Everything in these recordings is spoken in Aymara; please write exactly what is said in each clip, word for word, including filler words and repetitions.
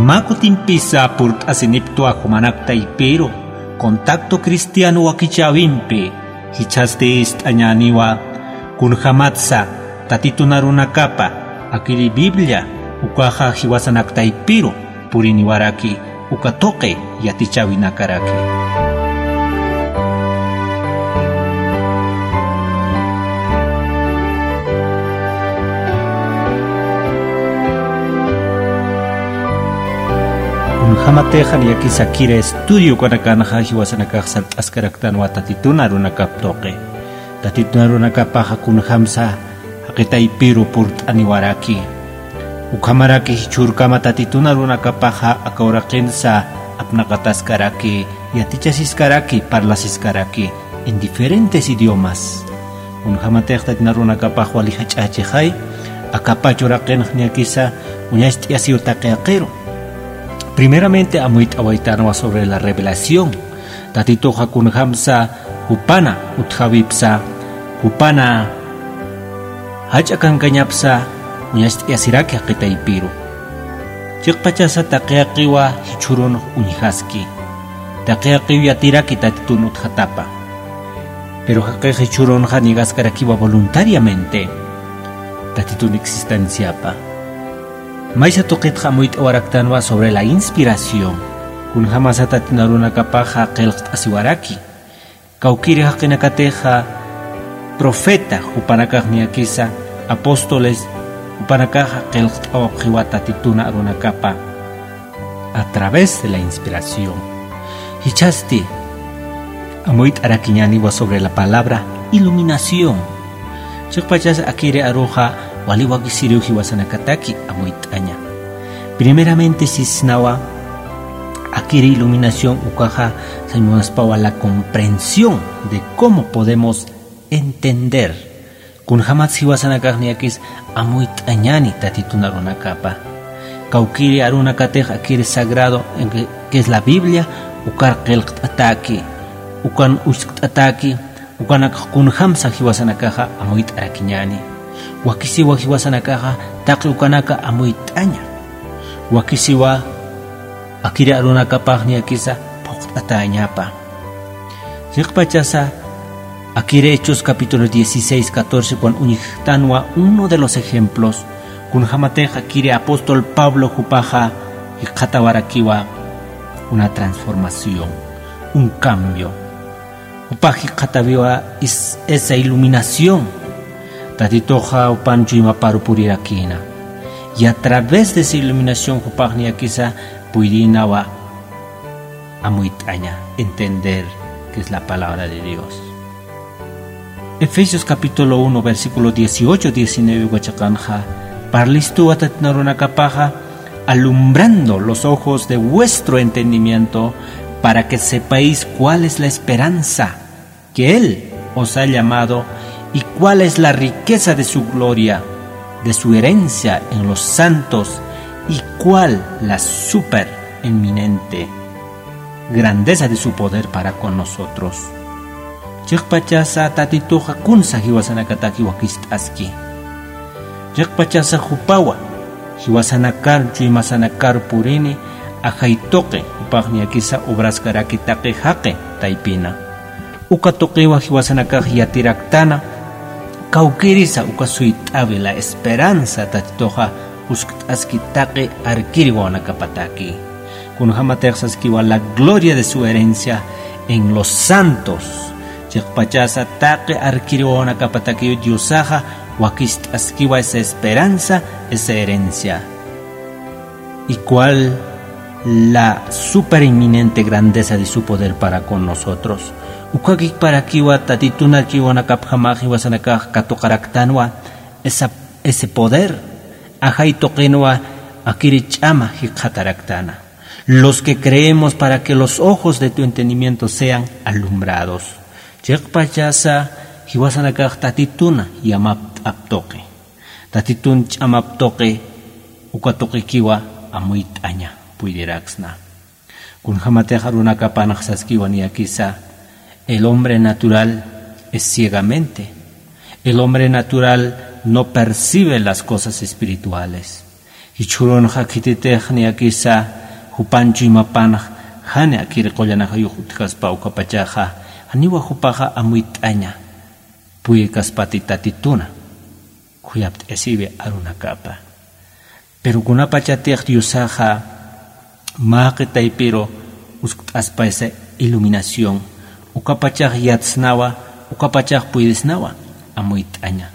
Mä kutimpisa purt'asiniptwa jumanak taypiru, Contacto Cristiano wakichäwimpi, jichhasti ist'añäniwa, kunjamatsa Tatitun arunakapa akiri Biblia ukaxa jiwasanak taypiru puriniwaraki uka tuqi yatichäwinakaraki. Kunjamatix niyakisa akiri estudio ukanakanxa jiwasanakax sart'askaraktanwa Tatitun arunakap tuqi. Tatitun arunakapaxa kunjamsa jaqi taypiru purt'aniwaraki. Ukhamaraki jichhürkama Tatitun arunakapaxa aka uraqinsa apnaqataskaraki, yatichasiskaraki, parlasiskaraki en diferentes idiomas. Kunjamatix Tatitun arunakapax wali jach'achixay, aka pach uraqinx niyakisa uñacht'ayasiw taqi yaqiru. Primeramente amuyt'awaytanwa sobre la revelación. Tatituxa kunjamsa jupana utjäwipsa, jupana jach'a kankañapsa uñacht'ayasiraki jaqi taypiru. Chiqpachasa taqi yaqiwa jichhürunx uñjaski. Taqi yaqiw yatiraki Tatitun utjatapa. Pero jaqix jichhürunxa negaskarakiwa voluntariamente Tatitun existenciapa. Maysa tuqitxa amuyt'awaraktanwa sobre la inspiración. Kunjamasa Tatitun arunakapaxa qillqt'asiwaraki. Kawkïri jaqinakatixa profeta, jupanakax niyakisa apóstoles, jupanakaxa qillqt'awapxiwa Tatitun arunakapa a través de la inspiración. Jichhasti amuyt'arakiñäniwa sobre la palabra iluminación. Chiqpachas akiri aruxa wali wakisiriw jiwasanakataki amuyt'aña. Primeramente sisnawa, akiri iluminación ukaxa sañ munaspawa la comprensión de cómo podemos entender. Kunjamatsa jiwasanakax niyakis amuyt'añäni Tatitun arunakapa. Kawkïri arunakatix akiri sagrado, en que, que es la Biblia, ukar qillqt'atäki, ukan uskt'atäki, ukanakax kunjamsa jiwasanakaxa amuyt'arakiñäni. Wakisiwa jiwasanakaxa taqi ukanaka amuyt'aña. Wakisiwa akiri arunakapax niyakisa phuqt'atäñapa. Chiqpachasa akiri Hechos capítulo dieciséis, catorce, ukan uñjtanwa uno de los ejemplos, kunjamatix akiri apóstol Pablo jupaxa jikxatawarakiwa una transformación, un cambio. Jupax jikxatawiwa is-, esa iluminación. Tatituxa jupan chuymaparu purirakïna. Y a través de esa iluminación jupax niyakisa puydïnawa amuyt'aña, entender qué es la palabra de Dios. Efesios capítulo uno, versículo dieciocho, diecinueve, uka chiqanxa, parlistuwa Tatitun arunakapaxa, alumbrando los ojos de vuestro entendimiento, para que sepáis cuál es la esperanza que Él os ha llamado, y cuál es la riqueza de su gloria, de su herencia en los santos, y cuál la super eminente grandeza de su poder para con nosotros. Chiqpachasa Tatituxa kunsa jiwasanakataki wakist'aski. Chiqpachasa jupawa jiwasanakar, chuymasanakar purini, ajay tuqi, jupax niyakisa obraskaraki taqi jaqi taypina. Uka tuqiwa jiwasanakax yatiraktana, kawkïrisa uka suyt'awi la esperanza Tatituxa uskt'aski taqi arkiri wawanakapataki. Kunjamatix saskiwa la gloria de su herencia en los santos. Chiqpachasa taqi arkiri wawanakapatakiw Diosaxa wakist'askiwa esa esperanza, esa herencia. Y cuál la super eminente grandeza de su poder para con nosotros. Ukakiparakiwa Tatitun arkiri wawanakapjamax jiwasanakax katuqaraktanwa esa, ese poder, ajay tuqinwa akiri ch'ama jikxataraktana. Los que creemos para que los ojos de tu entendimiento sean alumbrados. Chiqpachasa jiwasanakax Tatitun yamapt'ap tuqi. Tatitun ch'amap tuqi, uka tuqikiwa amuyt'aña puydiraksna. Kunjamatix arunakapanx saskiwa niyakisa, el hombre natural es ciegamente. El hombre natural no percibe las cosas espirituales. Jichhürunxa khititix niyakisa jupan chuymapanx jani akiri qullanakayux utjaspa ukapachaxa, janiwa jupaxa amuyt'aña puyirkaspati Tatituna khuyapt'asiwi arunakapa. Pero kunapachatix Diosaxa mä jaqi taypiru uskt'aspa esa iluminación, ukapachax yatsnawa, ukapachax puydisnawa amuyt'aña.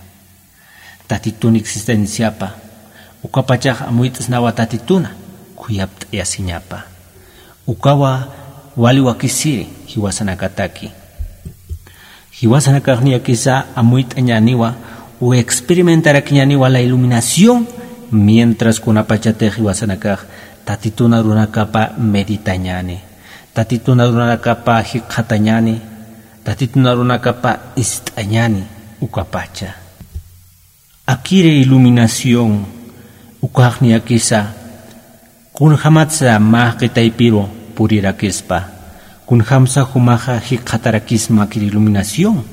Tatitun existenciapa ukapachax amuyt'snawa Tatituna khuyapt'ayasiñapa. Ukawa wali wakisiri jiwasanakataki. Jiwasanakax niyakisa amuyt'añäniwa u experimentarakiñäniwa la iluminación, mientras kunapachatix jiwasanakax Tatitun arunakapa meditañäni, Tatitun arunakapa jikxatañäni, Tatitun arunakapa ist'añäni ukapacha. Akiri iluminación ukax niyakisa kunjämatsa mä jaqi taypiru purirakispa, kunjämsa jumaxa jikxatarakisma akiri iluminación.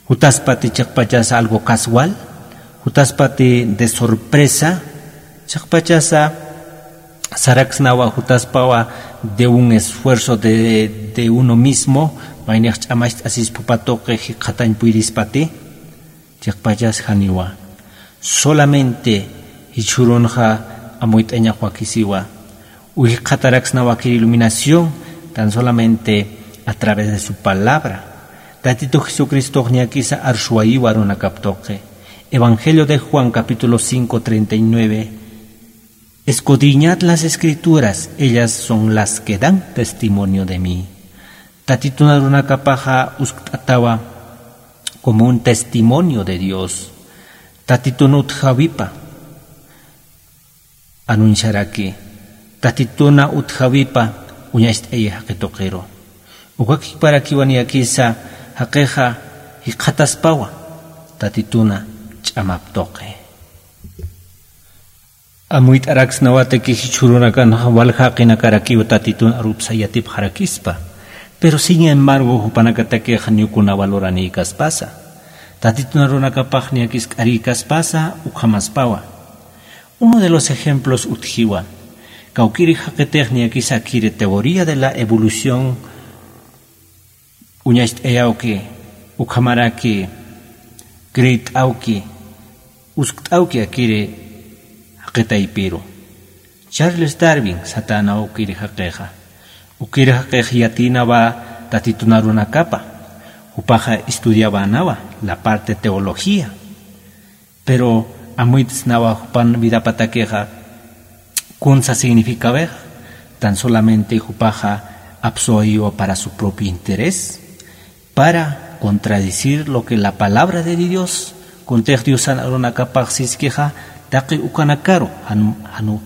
Jutaspati chiqpachasa algo casual, jutaspati de sorpresa, chiqpachasa saraksnawa jutaspawa de un esfuerzo de, de uno mismo, maynix ch'amacht'asispa jupa tuqi jikxatañ puyirispati. Chiqpachas janiwa. Solamente jichhürunxa amuyt'añax wakisiwa. Uy jikxataraksnawa akiri iluminación tan solamente a través de su palabra. Tatitu Jesucristox niyakisa arsuwayiwa arunakap tuqi. Evangelio de Juan capítulo cinco treinta y nueve. Escudriñad las Escrituras, ellas son las que dan testimonio de mí. Tatitun arunakapaxa uskt'atawa como un testimonio de Dios. Tatitun utjawipa anunciaraki, Tatituna utjawipa uñacht'ayi jaqi tuqiru. Ukakiparakiwa niyakisa jaqixa jikxataspawa Tatituna ch'amap tuqi. Amuyt'araksnawataki jichhürunakanxa walja jaqinakarakiw Tatitun arupsa yatipxarakispa. Pero sin embargo jupanakatakix janiw kunawa luranïkaspasa. Tatitun arunakapax niyakis k'arïkaspasa ukhamaspawa. Uno de los ejemplos utjiwa. Kawkïri jaqitix niyakisa akiri teoría de la evolución uñacht'ayawki, ukhamaraki creet'awki, uskt'awki akiri jaqi taypiru. Charles Darwin satänaw ukiri jaqixa. Ukiri jaqix yatïnawa Tatitun arunakapa. Jupaxa estudiawänawa la parte teología. Pero amuyt'snawa jupan vidapatakixa kunsa significawixa, tan solamente jupaxa apsuwayiwa para su propio interés, para contradecir lo que la palabra de Dios, kuntix Diosan arunakapax siskixa, taqi ukanakaru jan, janu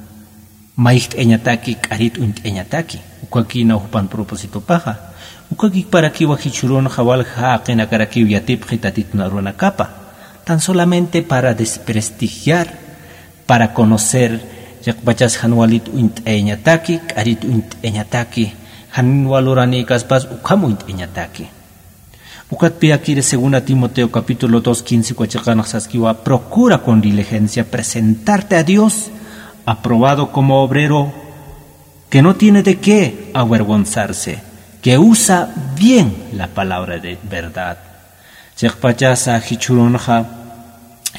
mayjt'ayañataki, k'arit uñt'ayañataki, ukakïnaw jupan propósitopaxa. Ukakiparakiwa jichhürunxa walja jaqinakarakiw yatipxi Tatitun arunakapa, tan solamente para desprestigiar, para conocer, chiqpachas jan walit uñt'ayañataki, k'arit uñt'ayañataki, jan waluranïkaspas ukham uñt'ayañataki. Ukatpï akiri segunda Timoteo capítulo dos quince uka chiqanx saskiwa, procura con diligencia presentarte a Dios aprobado como obrero que no tiene de qué avergonzarse, que usa bien la palabra de verdad. Chiqpachasa jichhürunxa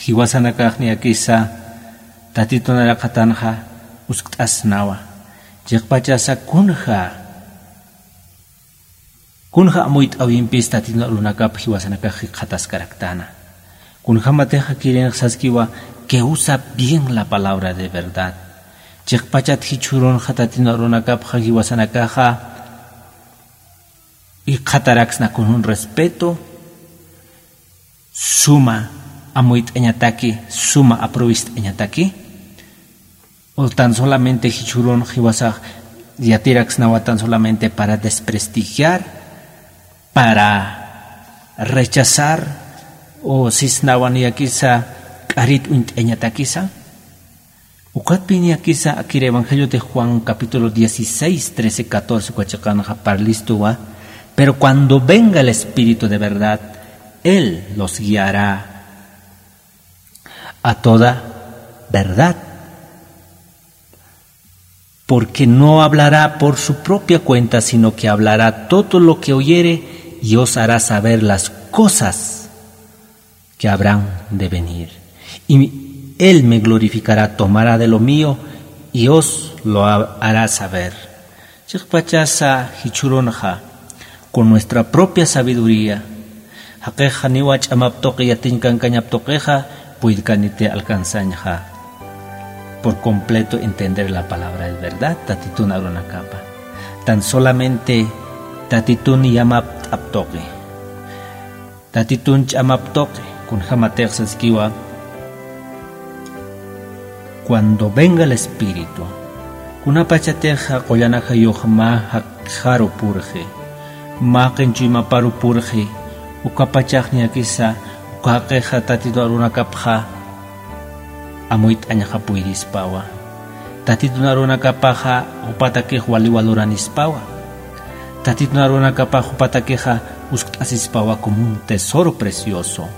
jiwasanakax niyakisa Tatitun araqatanxa uskt'asnawa. Chiqpachasa kunja Kunja amuyt'äwimpis Tatitun arunakap jiwasanakax jikxataskaraktana. Kunjämatix akirinx saskiwa que usa bien la palabra de verdad. Chiqpachat jichhürunxa Tatitun arunakapxa jiwasanakaxa jikxataraksna con un respeto, suma amuyt'añataki, suma aprovist'añataki. O tan solamente jichhürun jiwasax yatiraksnawa tan solamente para desprestigiar, para rechazar, o sisnawa niyakisa k'arit uñt'ayañatakisa. Ukatpï niyakisa akir Evangelio de Juan capítulo dieciséis, trece, catorce uka chiqanxa parlistuwa, pero cuando venga el Espíritu de verdad, él los guiará a toda verdad. Porque no hablará por su propia cuenta, sino que hablará todo lo que oyere y os hará saber las cosas que habrán de venir. Y él me glorificará, tomará de lo mío y os lo ha- hará saber. Chiqpachasa jichhürunxa, con nuestra propia sabiduría, jaqix janiwa ch'amap tuqi yatiñ kankañap tuqixa, puydkaniti alcanzañxa por completo entender la palabra de verdad, Tatitun arunakapa. Tan solamente Tatitun yamapt'ap tuqi. Tatitun ch'amap tuqi, kunjamatix saskiwa, cuando venga el Espíritu, kunapachatixa qullan ajayux mä jaqixaru purxi, mä qin chuymaparu purxi, ukapachax niyakisa, uka jaqixa Tatitun arunakapxa amuyt'añaxa puydispawa. Tatitun arunakapaxa jupatakix waliwa luranispawa. Tatitun arunakapax jupatakixa uskt'asispawa como un tesoro precioso.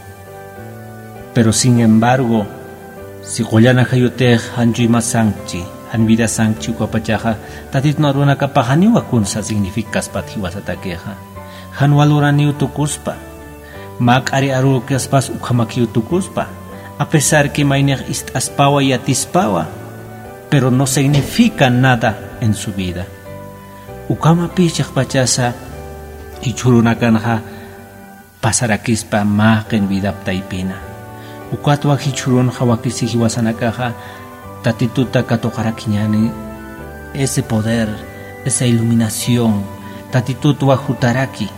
Pero sin embargo, si qullan ajayutix jan chuyma sankchi, jan vida sankchi ukapachaxa, Tatitun arunakapax janiwa kunsa significaspat jiwasatakixa. Janwa luraniw tukuspa. Mä k'ari arukaspas ukhamakiw tukuspa. A pesar que maynix ist'aspawa, yatispawa, pero no significa nada en su vida. Ukhamapï chiqpachasa jichhürunakanxa pasarakispa mä qin vidap taypina. Ukatwa jichhürunxa wakisi jiwasanakaxa Tatituta katuqarakiñäni, ese poder, esa iluminación, Tatitutwa jutaraki,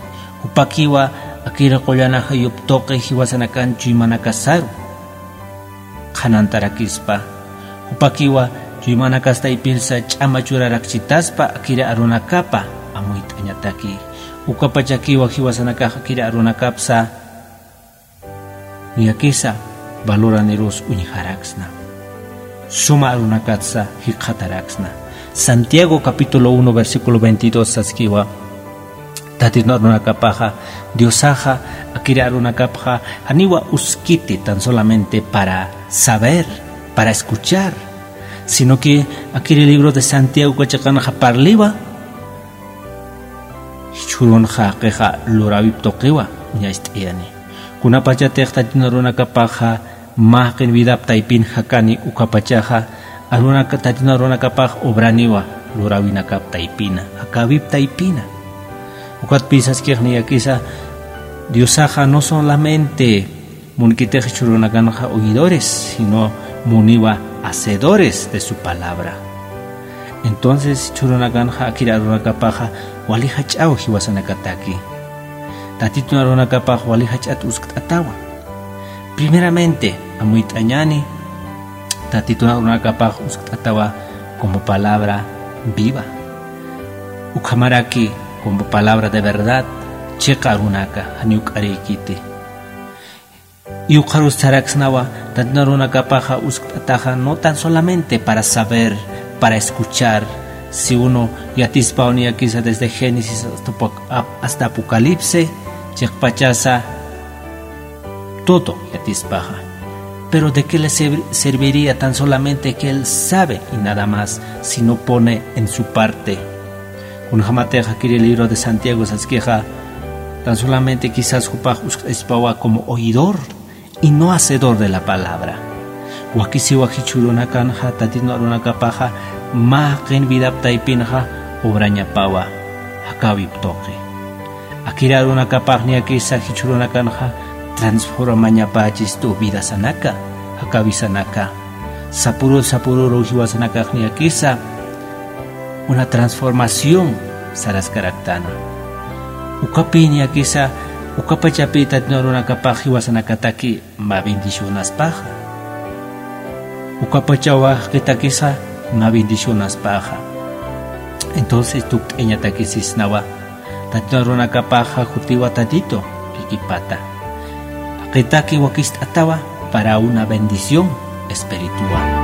jupakiwa akir qullan ajayup tuqi jiwasanakan chuymanakasaru qhanantarakispa, jupakiwa chuymanakas taypinsa ch'ama churarakchitaspa akir arunakapa amuyt'añataki, ukapachakiwa jiwasanakax akir arunakapsa niyakisa valoranirus uñjaraksna. Suma arunakatsa jikxataraksna. Santiago capítulo uno, versículo veintidós saskiwa, Tatitun arunakapaxa, Diosaxa, akir arunakapxa, janiwa uskiti tan solamente para saber, para escuchar, sino que akir libro de Santiago uka chiqanxa parliwa, jichhürunxa jaqixa luräwip tuqiwa uñacht'ayani. Kunapachatix Tatitun arunakapaxa mä qin vidap taypin jakani ukapachaxa, arunaka-, Tatitun arunakapax obraniwa luräwinakap taypina, jakäwip taypina. Ukatpï saskix niyakisa, Diosaxa no solamente munkitix jichhürunakanxa oidores, sino muniwa hacedores de su palabra. Entonces, jichhürunakanxa akir arunakapaxa wali jach'aw jiwasanakataki. Tatitun arunakapax wali jach'at uskt'atawa. Primeramente, amuyt'añäni, Tatitun arunakapax uskt'atawa como palabra viva. Ukhamaraki como palabra de verdad, chiqa arunaka, janiw k'arïkiti. Y ukxarus saraksnawa, Tatitun arunakapaxa uskt'ataxa no tan solamente para saber, para escuchar, si uno yatispaw niyakisa desde Génesis hasta Apoc-, ap-, hasta Apocalipsis, chiqpachasa todo yatispaxa. Pero ¿de qué le serv-, serviría tan solamente que él sabe y nada más, si no pone en su parte? Kunjamatix akir libro de Santiago saskixa, tan solamente quizás jupax uskt'aspawa como oidor y no hacedor de la palabra. Wakisiwa jichhürunakanxa Tatitun arunakapaxa mä qin vidap taypinxa obrañapawa, jakäwip tuqi. Akir arunakapax niyakisa jichhürunakanxa transformañapächistu vidasanaka, jakäwisanaka. Sapürür sapürüru jiwasanakax niyakisa una transformación saraskaraktana. Ukapï niyakisa, ukapachapï Tatitun arunakapax jiwasanakataki mä bendicionaspaxa. Ukapachawa jaqitakisa mä bendicionaspaxa. Entonces tukt'ayañatakisisnawa, Tatitun arunakapaxa jutiwa Tatitu kikipata. Jaqitaki wakist'atawa para una bendición espiritual.